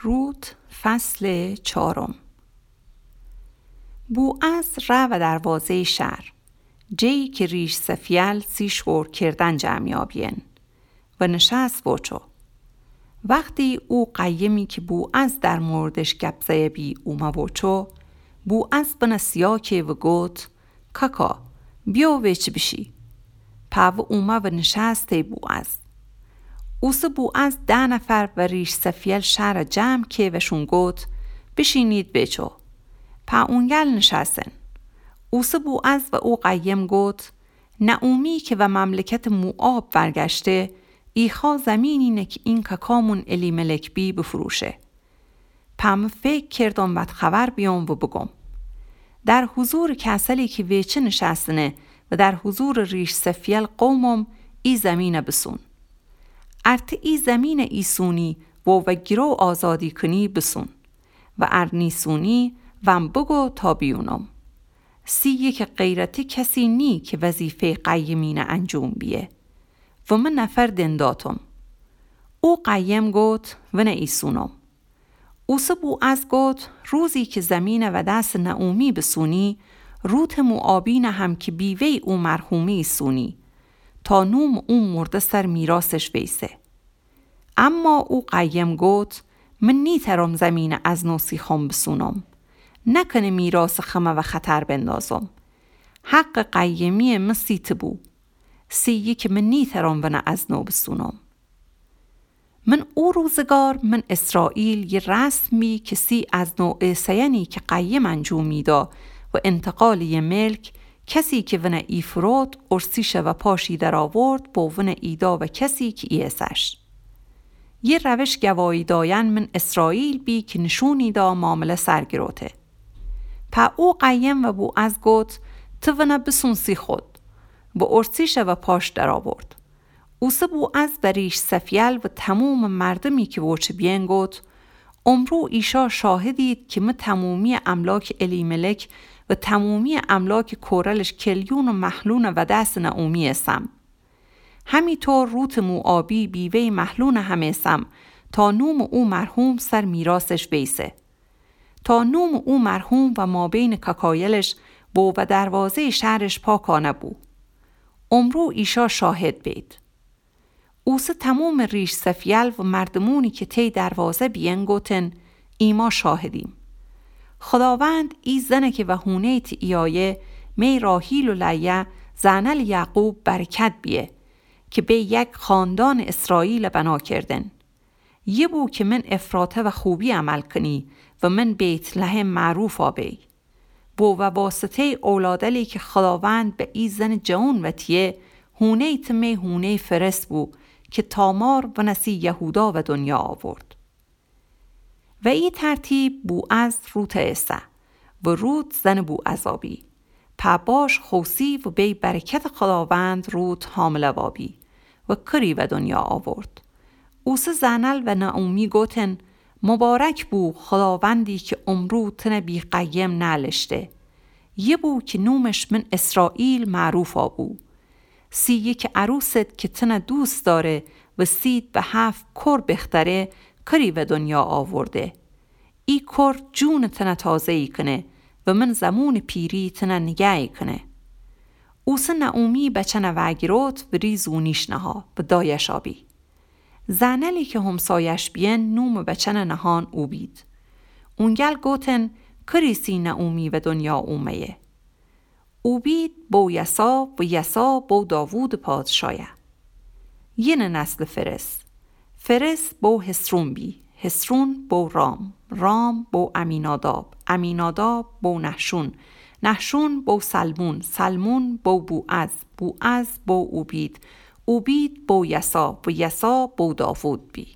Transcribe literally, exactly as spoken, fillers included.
روت، فصل چهارم. بوعز ره و دروازه‌یٚ شهر، جایی که ریش سفیل سی شور کردن جمعیا بیین و نشست وچو. وقتی او قیمی که بوعز در موردش گپ زیه بی اومه وچو، بوعز ونه سیا که و گوت: کاکا، بیو ویچه بیشی. پا و اومه و نشست تی بوعز. اوسه بوعز ده نفر و ریش سفیل شهر جمع که و شون گوت: بیشینید ویچو. پا اونگل نشستن. اوسه بوعز و او قیم گوت: نعومی که و مملکتٚ موعاب ورگشته، ایخا زمینی نه که این کاکامون الیملک بی بفروشه. پا مه فیکر کردم وت خبر بیوم و بگم. در حضورٚ کسلی که ویچه نشستنه و در حضورٚ ریش سفیل قومم، ای زمینه بسون. ار ته ای زمینه ایسونی و و گرو آزادی کنی بسون و ار نیسونی ون بگو تا بیونم. سی یکه غیر ته کسی نی که وظیفه‌یٚ قیمینه انجوم بیه و مه نفر دنداتم. او قیم گوت: ونه ایسونم. اوسه بوعز گوت: روزی که زمینه و دسٚ نعومی بسونی، روتٚ موعابینه هم که بیوه‌یٚ او مرحومه ایسونی، تا نومٚ او مرده سر میراثش ویسه. اما او قیم گوت: من نیترم زمینه از نو سیخم بسونم. نکنه میراثٚ خمه و خطر بندازم. حقٚ قیمی‌یٚ مه سی ته بو. سی یکه مه نیترم ونه از نو بسونم. من او روزگار من اسرائیل یه رسم بی که سی از نو ایسه‌یأنی که قیم انجوم میدا و انتقالٚ یه ملک، کسی که ونه ایفروت، ارسیشه و پاشی درآورد، با ونه ایدا و کسی که ایسه‌ش. یه روش گواهی دایأن من اسرائیل بی که نشونی دا معامله سر گروته. پا او قیم و بوعز گوت: ته ونه بسون سی خود. و ارسیشه و پاش درآورد. اوسه بوعز و ریش سفیل و تمومٚ مردمی که وچه بیین گوت: امرو ایشا شاهدید که مه تمومی‌یٚ املاکٚ الیملک و تمومی‌یٚ املاکٚ کورلش کلیون و مهلون و دسٚ نعومی ایسم. همی طور روتٚ موعابی بیوه‌یٚ مهلون هم ایسم، تا نومٚ او مرحوم سر میراثش ویسه. تا نومٚ او مرحوم و مابینٚ کاکایلش بو و دروازه‌یٚ شهرش پاکانه بو. امرو ایشا شاهد بید. اوسه تمومٚ ریش سفیل و مردمونی که تی دروازه بیین گوتن: ایما شاهدیم. خداوند ای زنه که و هونه‌یٚ تی ایایه، می راحیل و لیا، زأنلٚ یعقوب برکت بیه، که بی یک خاندانٚ اسرائیل بنا کردن. یه بو که من افراته و خوبی عمل کنی و من بیت‌لحم معروفا بی. بو و واسطه‌یٚ اولادلی که خداوند به ای زنٚ جوون وتیه، هونه‌یٚ ته می هونه‌یٚ فرس بو که تامار ونه سی یهودا و دنیا آورد. و ای ترتیب بوعز روته ایسه و روت زنٚ بوعزا بی. پا باش خوسی و بی برکتٚ خداوند روت حامله وابی و کری و دنیا آورد. اوسه زأنل و نعومی گوتن: مبارک بو خداوندی که امرو تنه بی قیم نألشته. یه بو که نومش من اسرائیل معروفا بو. سی یکه عروست که تنه دوست داره و سید به هفت کر بختره، کری و دنیا آورده. ای کر جونٚ تنه تازه‌یی کنه و من زمونٚ پیری تنه نگه‌یی کنه. اوسه نعومی بچنه وأگیروت و ری زونیش نها و دایشا بی. زأنلی که همسایش بیین نومٚ بچنٚ نهان اوبید. اونگل گوتن: کری سی نعومی و دنیا اومه‌یه؟ اوبید بو یسا و یسا بو داوودٚ پادشایه. یینٚ نسلٚ فرس. فرس بو حصرون بی، حصرون بو رام، رام بو عمیناداب، عمیناداب بو نحشون، نحشون بو سلمون، سلمون بو بوعز، بوعز بو اوبید، اوبید بو یسا و یسا بو داوود بی.